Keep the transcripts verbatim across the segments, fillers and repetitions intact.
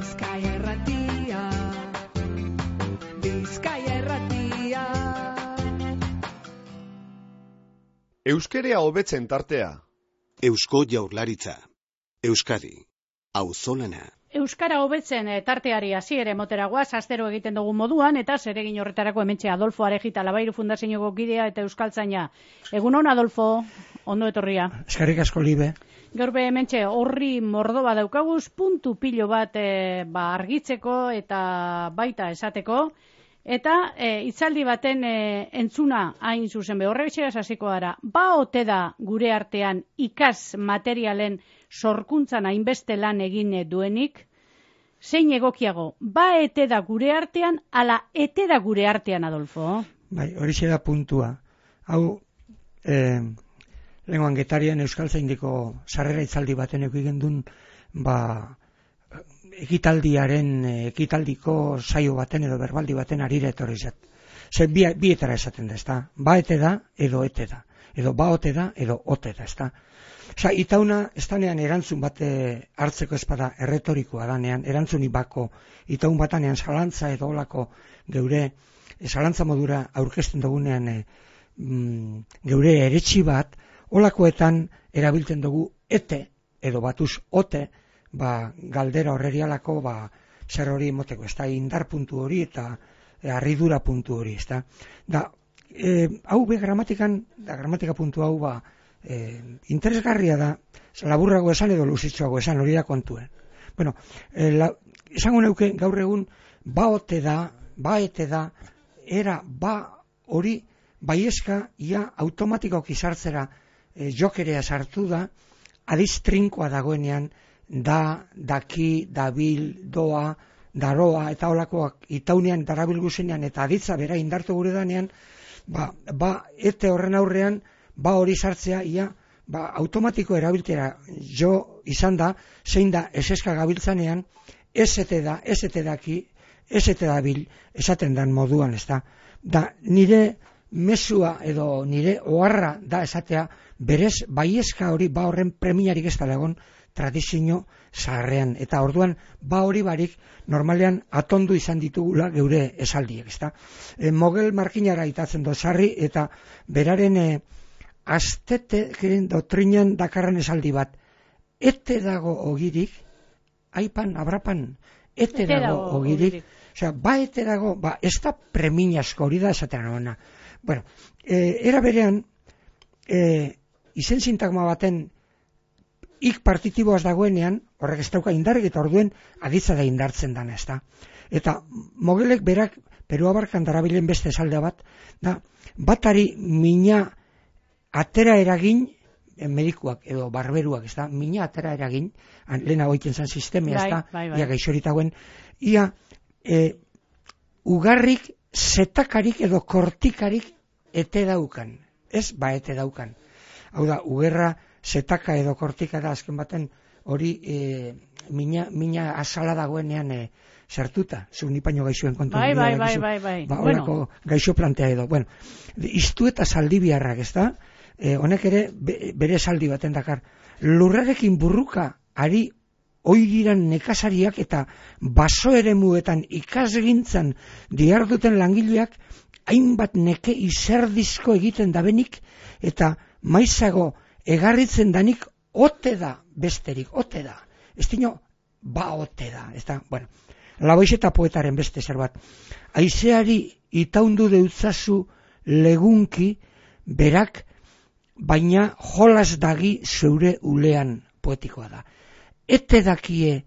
Bizkaia Irratia, Bizkaia Irratia. Euskerea hobetzen tartea. Eusko Jaurlaritza. Euskadi. Auzolana. Euskara hobetzen tarteari hasiera emoteragoaz astero egiten dugun moduan, eta zeregin horretarako hementxe Adolfo Arejita Labairu Fundazioko kidea eta euskaltzaina. Egun hon, Adolfo, ondo etorria. Eskerrik asko, Libe. Gaur be hementxe horri mordo bat daukaguz, puntu pilo bat e, ba, argitzeko eta baita esateko, eta e, itzaldi baten e, entzuna hain zuzen be horrebetxeraz hasiko gara. Ba ote da gure artean ikas materialen sorkuntzan hainbeste lan egin duenik, zein egokiago, ba ete da gure artean, ala ete da gure artean, Adolfo? Bai, hori da puntua. Hau, eh, lenguan getarian euskaltzaindiko sarrera itzaldi baten egin duen, ba, ekitaldiaren, ekitaldiko saio baten edo berbaldi baten arira etorri zat. Ze bi, bietara esaten da, ezta? Ba ete da, edo ete da. Edo ba ote da, edo ote da, ezta? Osa, itauna, ez danean erantzun bate hartzeko espada erretorikoa danean, erantzuni bako, itaun batanean salantza edo olako geure, salantza modura aurkezten dugunean e, mm, geure eretxi bat, olakoetan erabiltzen dugu ete, edo batuz ote, ba, galdera horrerialako, ba, zer hori moteko, ez da, indar puntu hori eta e, arridura puntu hori, ez da. Da, e, hau be gramatikan, da, gramatika puntu hau, ba, E, interesgarria da, laburrago esan edo luzitxoago esan, hori da kontuen. Bueno, e, la, esango neuke gaur egun ba ote da, ba ete da, era ba hori baiezka ia automatikoki sartzera e, jokerea sartu da, adiz trinkoa dagoenean, da, daki, dabil, doa, daroa, eta holakoak itaunean, darabilguzenean, eta aditza bera indartu gure danean, ba, ba ete horren aurrean, ba hori sartzea, ia, ba, automatiko erabiltera jo izan da, zein da eseska gabiltzanean, esete da, esete daki, esete dabil, esaten dan moduan, ez da. Da, nire mesua edo nire oharra da esatea, berez, baiezka hori, ba horren premiarik ez da egon tradizio zaharrean. Eta orduan, ba hori barik, normalean atondu izan ditugula geure esaldiek, ez da. E, Mogel Markinara itatzen do sarri, eta beraren e, aztete doktrinan dakarran esaldi bat, ete dago ogirik, aipan, abrapan, ete, ete dago, dago ogirik, osea, ba ete dago, ba, ez da preminasko hori da esaten hona. Bueno, e, era berean, e, izen sintagma baten ik partitiboaz dagoenean, horrek ez dauka indarrik eta orduen aditza da indartzen dana, ez da. Eta Mogelek berak, Peru abarkan darabilen beste esalde bat, da, batari mina atera eragin, medikuak edo barberuak, ez da, mina atera eragin, lehena goiten zan sistemia, ez da, bai, bai, bai. Ia gaixoritagoen, ia e, ugarrik, zetakarik edo kortikarik ete daukan, ez ba ete daukan. Hau da, ugerra, zetaka edo kortika da, azken baten hori e, mina, mina azala dagoenean e, sartuta, zu nipaino gaixoen kontu. Bai, bai, bai, bai, bai. Ba, horako bueno. Gaixo plantea edo. Bueno, iztu eta zaldi biharrak, ez da? E, honek ere be, bere saldi baten dakar. Lurrarekin burruka ari oiriran nekazariak eta baso ere muetan ikasgintzan diarduten langileak hainbat neke izerdizko egiten dabenik eta maizago egarritzen danik ote da besterik, ote da. Ez dino, ba ote da, ez da, bueno. Laboixeta poetaren beste zer bat. Aizeari itaundu deutzazu legunki berak, baina jolas dagi zeure ulean poetikoa da. Ete dakie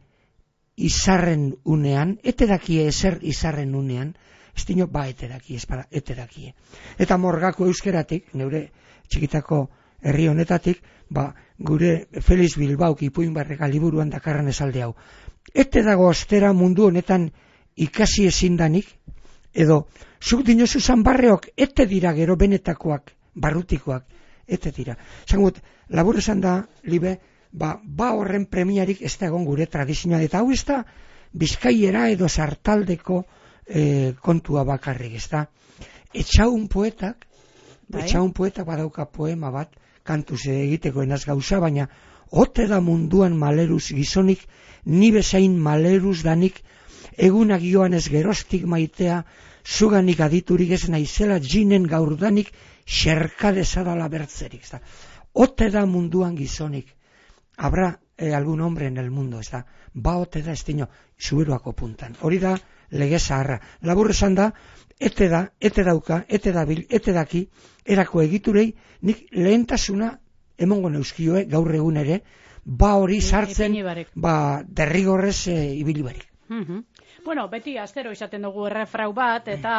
izarren unean, ete dakie ezer izarren unean, ez dino, ba ete dakie, ez para, ete dakie. Eta morgako euskeratik, neure txikitako herri honetatik, ba, gure Feliz Bilbauk ipuin barreka liburuan dakarran esalde hau. Ete dago ostera mundu honetan ikasi ezindanik, edo zuk dinozu zanbarreok ete dira gero benetakoak, barrutikoak, ete dira. Zangut, labur esan da, Libe, ba, ba horren premiarik ez da egon gure tradizioa, eta hau ez da bizkaiera edo sartaldeko e, kontua bakarrik, ez da. Etxaun poetak, bai? Etxaun poetak badauka poema bat, kantuz egiteko enaz gauza, baina ote da munduan maleruz gizonik, ni bezain maleruz danik, egunak joan ez gerostik maitea, zuganik aditurik ez naizela jinen gaurdanik, xerkadezadala bertzerik. Ezta? Ote da munduan gizonik. Habrá eh, algún hombre en el mundo, ezta? Ba ote da estino, zuberoako puntan. Hori da lege zaharra. Labur esan da, ete da, ete dauka, ete dabil, ete daki, erako egiturei, nik lehentasuna emongo neuskioe gaur egun ere, ba hori sartzen, ba derrigorrez e, ibili barik. Uh-huh. Bueno, beti astero izaten dugu errefrau bat, eta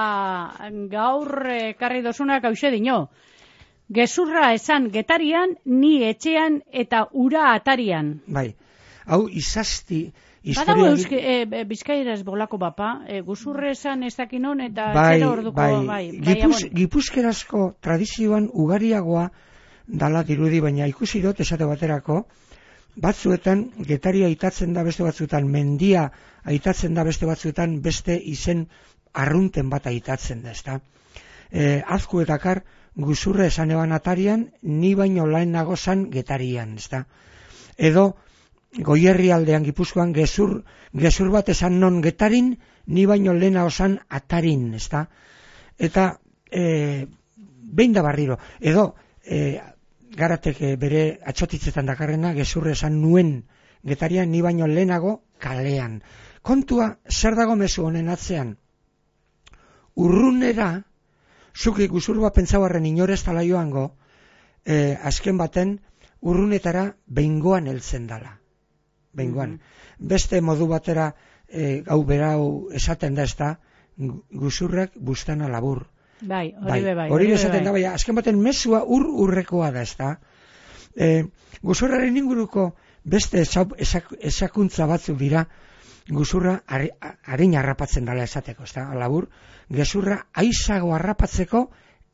gaur ekarri dozunak hause dino. Gezurra esan getarian, ni etxean eta ura atarian. Bai, hau izasti... Badago euske, e, bizkaieraz bolako bapa, e, guzurre esan ez dakinon eta bai, zero orduko... Bai, bai, Gipuz, bai, gipuzkerazko tradizioan ugariagoa dala dirudi, baina ikusi dut esate baterako, batzuetan getaria aitatzen da beste batzuetan, mendia aitatzen da beste batzuetan, beste izen arrunten bat aitatzen da, ezta? E, azku eta kar, guzurre esan eban atarian, ni baino laenago zan getarian, ezta? Edo, Goierri aldean Gipuzkoan gezur, gezur bat esan non getarin, ni baino lehena osan atarin, ezta? Eta, e, behin da barriro, edo, e, Garatek bere atxotitzetan dakarrena, gezurre esan nuen getarian, ni baino lehenago kalean. Kontua, zer dago mezu honen atzean? Urrunera, zuki guzur bat pentsauarren inorez tala joango, e, azken baten, urrunetara behingoan heltzen dala. Behingoan. Mm-hmm. Beste modu batera, e, hau berau esaten da ez da, guzurrak bustana labur. Bai, hori be bai. Hori esaten da, bai, azken baten mezua ur urrekoa da, ez da. E, guzurraren inguruko beste esak, esak, esakuntza batzuk dira, guzurra harin harrapatzen dela esateko, ez da, labur, gezurra aizago harrapatzeko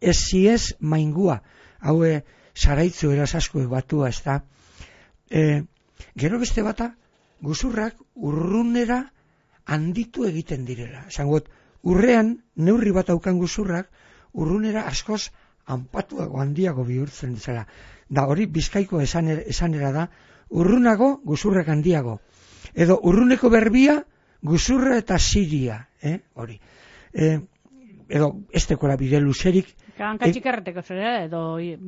ez maingua, haue saraitzu erasasku batua, ez da. E, gero beste bata, guzurrak urrunera handitu egiten direla. Esangot, urrean, neurri bat aukan guzurrak, urrunera askoz hanpatuago handiago bihurtzen dizela. Da hori bizkaiko esanera, esanera da, urrunago guzurrak handiago. Edo urruneko berbia, guzurra eta siria. Eh? Hori. E, edo ez tekola bide luzerik. Hanka txikarreteko zera, edo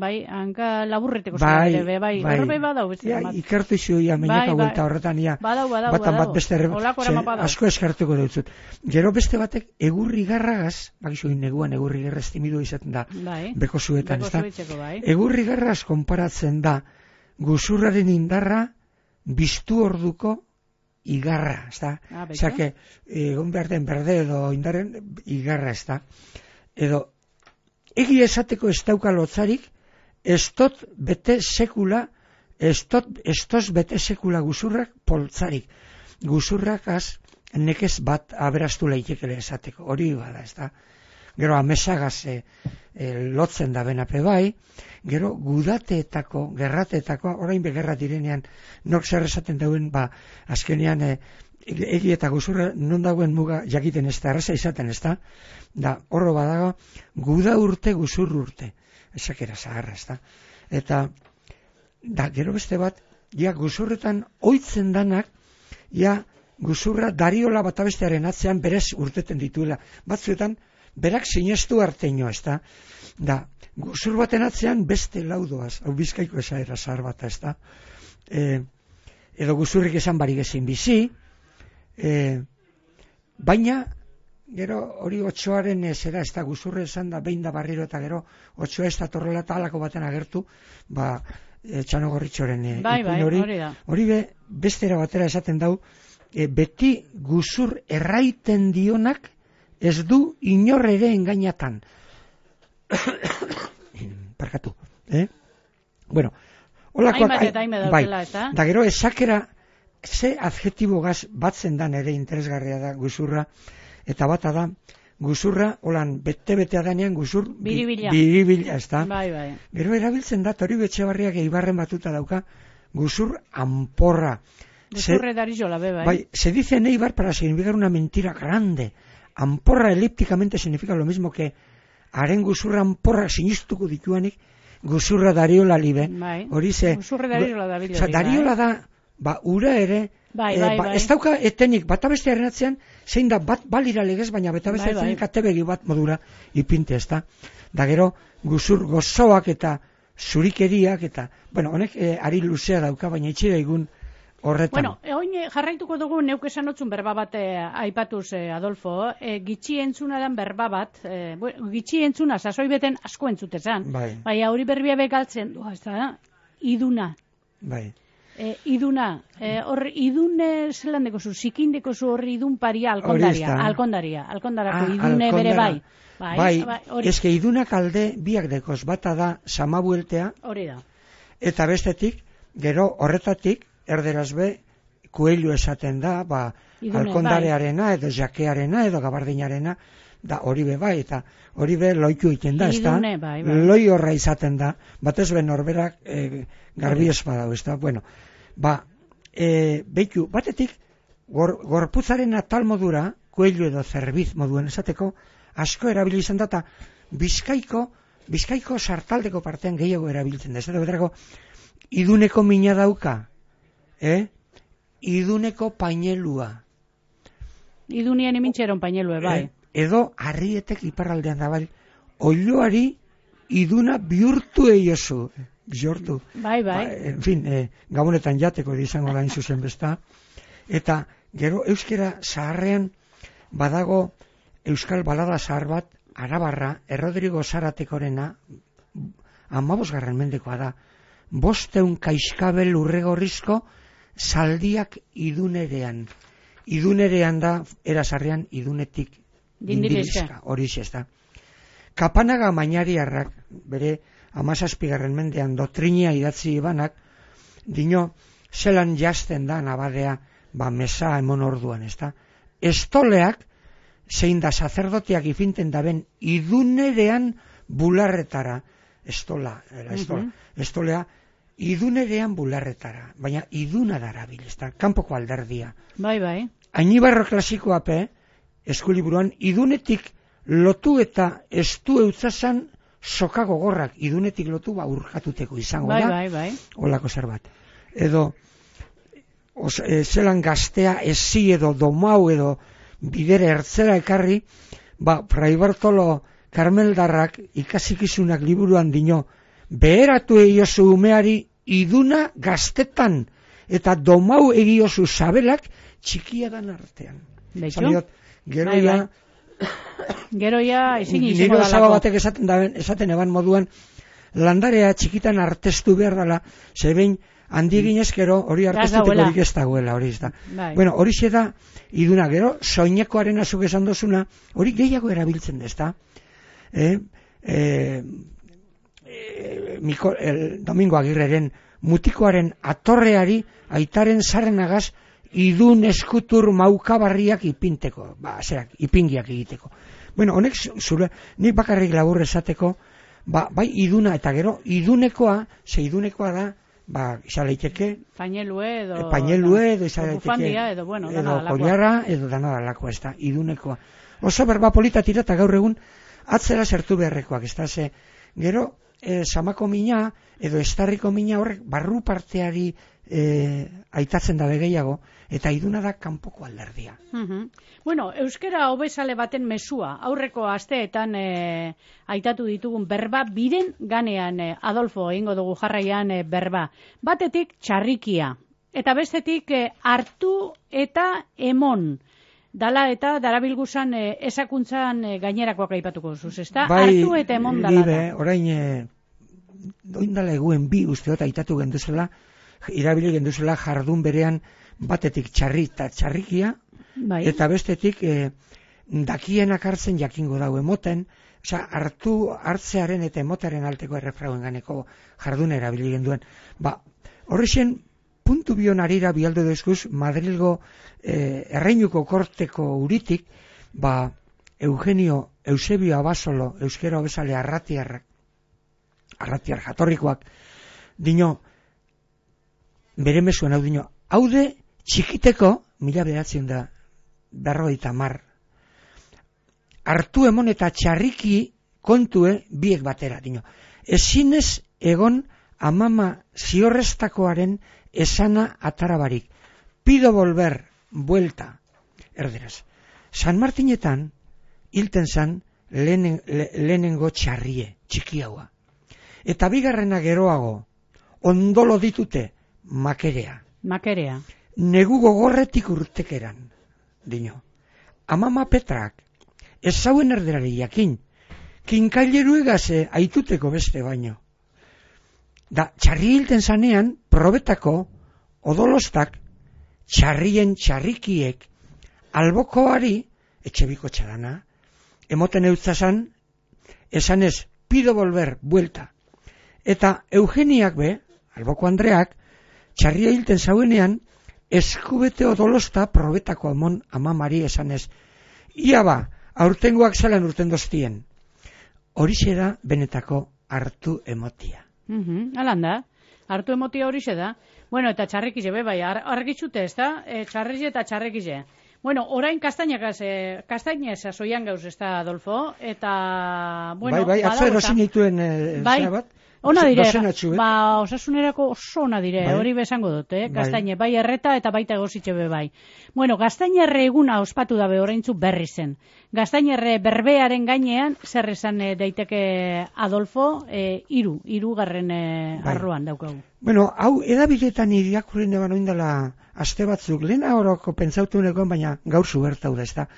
bai, hanka laburreteko zera, bai, ere, bai, bai. Horbe badau beste ja, bat. Ikertu izu ia meinaka bai, bai. Horretan ia. Badau, badau, batan badau. Bat beste erre... asko eskartuko dutzut. Gero beste batek egurri garragaz, bakizu neguan egurri garra estimidu izaten da, bai. Beko zuetan, ez da? Bai. Egurri garraz konparatzen da, guzurraren indarra, biztu orduko igarra, ez da? Ah, Zake, egon behar den berde edo indarren igarra, ez da? Edo, egi esateko ez dauka lotzarik, ez tot bete sekula, ez tot, ez tos bete sekula guzurrak poltzarik. Guzurrak az, nekez bat aberastu leitekele esateko, hori bada, ez da? Gero amesagaz e, e, lotzen da benape bai, gero gudateetako, gerrateetako, orain begerra direnean, nok zer esaten dauen, ba, azkenean, e, egi eta guzurra non dagoen muga jakiten ez da, erraza izaten ez da, da horro badago, guda urte guzur urte, esakera zaharra ez da. Eta, da gero beste bat, ja guzurretan oitzen danak, ja guzurra dariola bat abestearen atzean berez urteten dituela. Batzuetan, berak sinestu arteño ez da, da guzur baten atzean beste laudoaz, hau bizkaiko esaera zahar bat ez da, e, edo guzurrik esan barik ezin bizi, E, baina gero hori otsoaren zera ez da guzurre esan da behin da barriro eta gero otsoa ez da torrela eta alako baten agertu ba e, txanogorritxoren e, bai, bai, hori hori, hori be bestera batera esaten dau e, beti guzur erraiten dionak ez du inor ere engainatan parkatu eh? Bueno olakoak, bai, da gero esakera ze adjetibo gaz batzen dan ere interesgarria da guzurra, eta bata da, guzurra, holan, bete-betea danean guzur, biribila, biribila ez da. Bai, bai. Gero erabiltzen da, tori betxebarriak eibarren batuta dauka, guzur amporra. Guzurre darizola, be, bai. Bai, se dice en Eibar para significar una mentira grande. Amporra elípticamente significa lo mismo que haren guzurra amporra sinistuko dituanik, guzurra dariola libe, Bai. hori ze... Guzurra dariola da bilo. Osa, dariola da, ba, ura ere, Bai, eh, bai, ba, bai. ez dauka etenik, bata bestearen atzean, zein da, bat balira legez, baina bata beste Bai, bai. etenik atebegi bat modura ipinte, ez da. Da gero, guzur gozoak eta zurikeriak eta, bueno, honek eh, ari luzea dauka, baina itxira egun horretan. Bueno, e, oin eh, jarraituko dugu neuk esan otzun berba bat eh, aipatuz, eh, Adolfo, eh, gitxi entzuna dan berba bat, eh, bueno, gitxi entzuna, sasoi beten asko entzutezan, Bai. baina hori berbia begaltzen, du, ez da, iduna. Bai. E, iduna, e, hor idune zelan dekozu, zikindeko zu horri idun paria Hori alkondaria, ez da. alkondaria, alkondarako Ah, idune bere alkondara. bai. Bai, Bai, bai, hori, eske idunak alde biak dekoz, bata da samabueltea, hori da. eta bestetik, gero horretatik, erderaz be, kuelio esaten da, ba, Idune, alkondarearena, edo jakearena, edo gabardinarena, da hori be bai, eta hori be loiku egiten da, ez da? Idune, bai, bai. Loi horra izaten da, batez be norberak e, garbi espadau, ez da? Bueno, ba, e, beitu, batetik, gor, gorputzaren atal modura, kuelio edo zerbiz moduen esateko, asko erabili izan da, eta bizkaiko, bizkaiko sartaldeko partean gehiago erabiltzen da, ez da, beterako, iduneko mina dauka, eh? Iduneko painelua, Idunien imintxeron painelue, bai. eh? Edo harrietek iparraldean da, bai, oioari iduna bihurtu eiozu, bihurtu. Bai, bai. Ba, en fin, eh, gabonetan jateko izango da zuzen besta. Eta gero euskera zaharrean badago euskal balada zahar bat, Arabarra, Errodrigo Zaratekorena, amabosgarren mendekoa da, bosteun kaiskabel urregorrizko zaldiak idunerean. Idunerean da, erazarrean idunetik Dindirizka. hori ez da. Kapanaga Mainariarrak, bere amazazpigarren mendean doktrinia idatzi ibanak, dino, zelan jazten da nabadea, ba mesa emon orduan, ez da. Estoleak, zein da sacerdoteak ifinten daben idunerean bularretara, estola, era, estola, Mhm. estolea, idunerean bularretara, baina iduna darabil, ez da, kanpoko alderdia. Bai, bai. Ainibarro klasikoa pe, eskuliburuan, idunetik lotu eta estu eutzazan soka gogorrak, idunetik lotu ba urkatuteko izango Bai, da, bai, bai. holako zerbait. Edo, os, e, zelan gaztea ezi edo domau edo bidere ertzera ekarri, ba, Fray Bartolo Karmeldarrak ikasikizunak liburuan dino, beheratu egiozu umeari iduna gaztetan, eta domau egiozu sabelak txikia dan artean. Beitu? Zaliot, gero Bai, ja, bai. Gero ja, ezin izango nire osaba dalako. batek esaten, daben, esaten eban moduan, landarea txikitan artestu behar dela, zebein handi eginez gero hori artestuteko dagoela. horik ez dagoela, hori ez da. Bai. Bueno, hori xe da, iduna, gero, soinekoaren azuk esan dozuna, hori gehiago erabiltzen da, ez da. Eh, eh, eh, Miko, el, Domingo Agirreren mutikoaren atorreari aitaren zarrenagaz idun eskutur maukabarriak ipinteko, ba, zerak, ipingiak egiteko. Bueno, honek zure, nik bakarrik labur esateko, ba, bai iduna eta gero idunekoa, ze idunekoa da, ba, izan leiteke, Painelue edo... painelue edo izan edo leiteke, bufandia edo, bueno, dana edo dalakoa. kollarra, edo dana dalakoa, ez da, idunekoa. Oso berba polita tira eta gaur egun atzera zertu beharrekoak, ez da, ze, gero, e, samako mina, edo estarriko mina horrek barru parteari e, aitatzen dabe gehiago, eta iduna da kanpoko alderdia. Mhm. Bueno, euskera hobezale baten mesua, aurreko asteetan e, aitatu ditugun berba, biren ganean, e, Adolfo, egingo dugu jarraian e, berba. Batetik txarrikia, eta bestetik e, hartu eta emon. Dala eta darabilguzan e, esakuntzan e, gainerakoak aipatuko zuz, ezta? Hartu eta emon dala. Libe, orain, e, doindala eguen bi usteot aitatu genduzela, irabili genduzela jardun berean batetik txarri eta txarrikia, Bai. eta bestetik e, dakienak hartzen jakingo dau emoten, osea, hartu hartzearen eta emotaren alteko errefrauen ganeko jardun erabili genduen. Ba, horrexen, puntu bion arira bialdo dezkuz, Madrilgo e, erreinuko korteko uritik, ba, Eugenio Eusebio Abasolo, euskera hobezale arratiarrak, arratiar jatorrikoak, dino, bere mesuen hau dino, haude txikiteko, mila beratzen da, berrogeita mar, hartu emon eta txarriki kontue biek batera, dino. Ezinez egon amama ziorreztakoaren esana atarabarik. Pido volver, buelta, erderaz. San Martinetan, hilten zan, lehenen, le, lehenengo txarrie, txikiaua. Eta bigarrena geroago, ondolo ditute, makerea. Makerea. Negu gogorretik urtekeran, dino. Amama Petrak, ez zauen erderari jakin, kinkaileru egase aituteko beste baino. Da, txarri hilten zanean, probetako, odolostak, txarrien txarrikiek, albokoari, etxebiko txadana, emoten eutzazan, esanez, pido volver, buelta. Eta Eugeniak be, alboko Andreak, txarria hilten zauenean, eskubete odolosta probetako amon amamari esanez. Ia ba, aurtengoak zalan urten doztien. Horixe da benetako hartu emotia. Mhm, alan da. Hartu emotia horixe da. Bueno, eta txarrekize be, bai, ar argitzute ez da, e, txarrize eta txarrekize. Bueno, orain kastainak, e, kastainez azoian gauz ez da, Adolfo, eta, bueno, bai, bai, atzo erosin dituen e, bai, zera bat. Ona dire, Dozenatxu, eh? ba, osasunerako oso ona dire, Bai. hori besango dut, eh? Bai. Gastaine, bai erreta eta baita egositxe be bai. Bueno, gastainerre eguna ospatu dabe oraintzu berri zen. Gastainerre berbearen gainean, zer esan eh, daiteke Adolfo, eh, iru, irugarren eh, Bai. arroan daukagu. Bueno, hau edabidetan irakurren eban oindala aste batzuk, lehen horoko pentsautu nekoan, baina gaur zubertau da, ez da.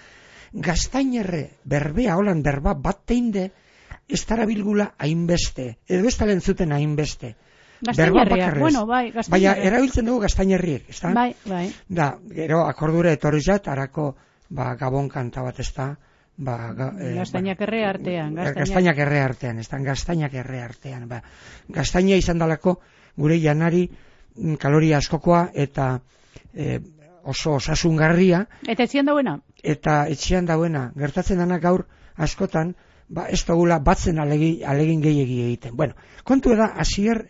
Gastainerre berbea, holan berba bat teinde, ez tarabilgula hainbeste, edo ez talen zuten hainbeste. Gastainerriak, bueno, bai, Baina gastainerriak. erabiltzen dugu gastainerriek, ez da? Bai, bai. Da, gero akordura etorri zat, arako, ba, gabon kanta bat ez da, ba, ga, eh, Gastainak ba, erre artean, gastainak. Gastainak erre artean, ez da, gastainak erre artean, ba. Gastaina izan dalako gure janari mm, kaloria askokoa eta eh, oso osasungarria, Eta etzian dauena? eta etxean dauena, gertatzen dana gaur askotan, ba, ez dugula batzen alegi, alegin gehiegi egiten. Bueno, kontu da, Asier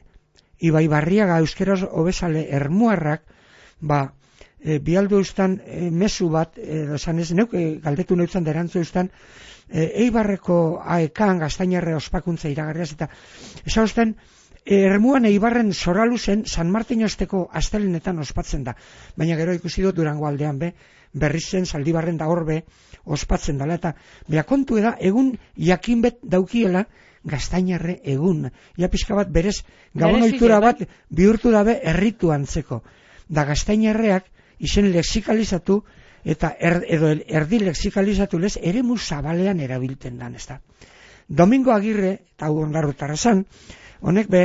Ibai Barriaga euskeraz hobesale ermuarrak, ba, e, bialdu eustan e, mezu bat, edo esan ez, neuk e, galdetu neutzan derantzu eustan, e, Eibarreko aekan gaztainarre ospakuntza iragarriaz, eta esan eustan, e, ermuan Eibarren zoraluzen San Martin osteko astelenetan ospatzen da. Baina gero ikusi dut Durango aldean be, berriz zen Zaldibarren da horbe ospatzen dela, eta beha kontu da, egun jakinbet daukiela gaztainarre egun. Ja pixka bat berez, gabon ohitura bat bihurtu dabe erritu antzeko. Da gaztainarreak izen lexikalizatu eta er, edo erdi lexikalizatu lez eremu zabalean erabilten dan, ez da. Domingo Agirre, eta hau ondarrutarra zan, honek be,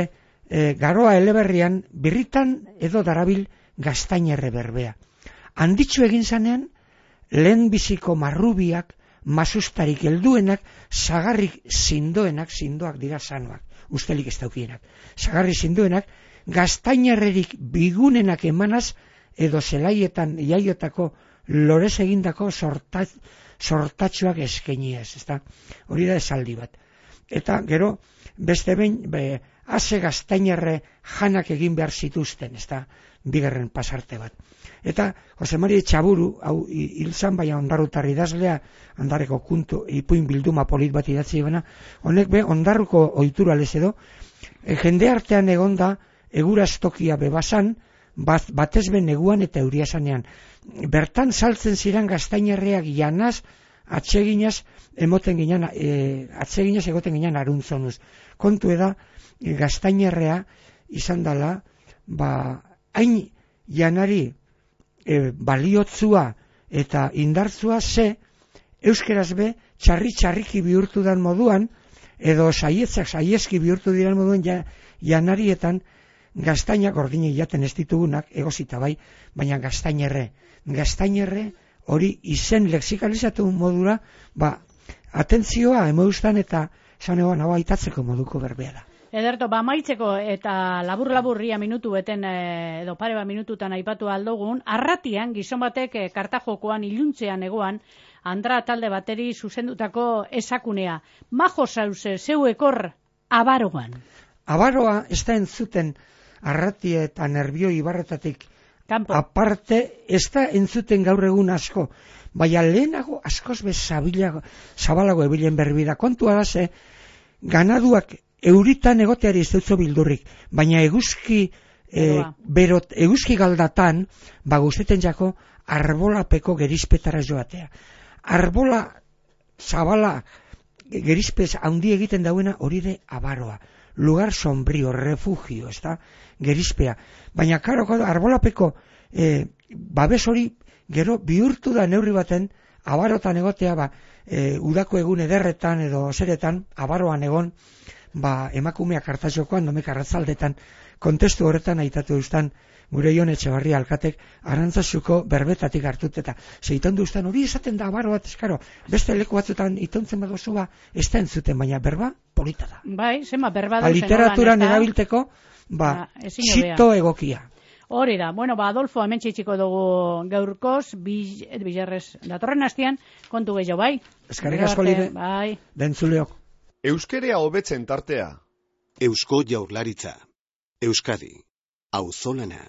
e, garoa eleberrian birritan edo darabil gaztainarre berbea. Handitxu egin zanean, lehen biziko marrubiak, masustarik helduenak, sagarrik zindoenak, zindoak dira sanoak, ustelik ez daukienak, sagarrik zindoenak, gaztainarrerik bigunenak emanaz, edo zelaietan jaiotako lorez egindako sortat, sortatxoak eskeniez, ezta? Hori da esaldi bat. Eta gero, beste behin, be, ase gaztainarre janak egin behar zituzten, ezta? Bigarren pasarte bat. Eta Jose Mari Txaburu, hau hilzan baina ondarrutarri idazlea, ondarreko kuntu, ipuin bilduma polit bat idatzi bena, honek be, ondarruko ohitura lez edo, e, jende artean egonda, eguraztokia bebasan, bat, batez ben neguan eta euriasanean. Bertan saltzen ziren gaztainarreak janaz, atseginaz, emoten ginen, e, atseginaz egoten ginen aruntzonuz. Kontu eda, e, gaztainarrea izan dela, ba, hain janari e, baliotzua eta indartzua ze, euskeraz be, txarri-txarriki bihurtu dan moduan, edo saietzak saieski bihurtu diren moduan ja, janarietan, gaztainak ordine jaten ez ditugunak, egozita bai, baina gaztainerre. Gaztainerre hori izen lexikalizatu modura, ba, atentzioa emoeustan eta esan egon hau aitatzeko moduko berbea da. Ederto, ba maitzeko eta labur-laburria minutu beten e, edo pare bat minututan aipatu aldogun, arratian gizon batek e, kartajokoan iluntzean egoan, Andra talde bateri zuzendutako esakunea. Majo zauze, zeu ekor abaroan. Abaroa ez da entzuten arratia eta nerbio ibarretatik Kampo. aparte, ez da entzuten gaur egun asko, baina lehenago askoz bez zabalago ebilen berbida. Kontua da ze, ganaduak euritan egoteari ez dutzo bildurrik, baina eguzki e, berot, eguzki galdatan, ba guzteten jako, arbolapeko gerizpetara joatea. Arbola zabala gerizpez handi egiten dauena hori de abaroa. Lugar sombrio, refugio, ez da, gerizpea. Baina, karo, arbolapeko e, babes hori gero bihurtu da neurri baten, abarotan egotea, ba, e, udako egun ederretan edo zeretan, abaroan egon, ba, emakumeak hartzaiokoan, domek arratzaldetan, kontestu horretan aitatu eustan, gure Jon Etxebarria alkatek, Arantzazuko berbetatik hartut eta zeiton duztan, hori esaten da abaro bat, eskaro, beste leku batzutan itontzen badozu ba, ez da entzuten, baina berba polita da. Bai, zema berba da. Literaturan erabilteko, ba, txito egokia. Hori da, bueno, ba, Adolfo, hemen txitxiko dugu gaurkoz, bilarrez datorren hastian, kontu gehiago, bai? Eskarrik asko lire, bai. Dentzuleok. Euskerea hobetzen tartea. Eusko Jaurlaritza. Euskadi. Auzolana.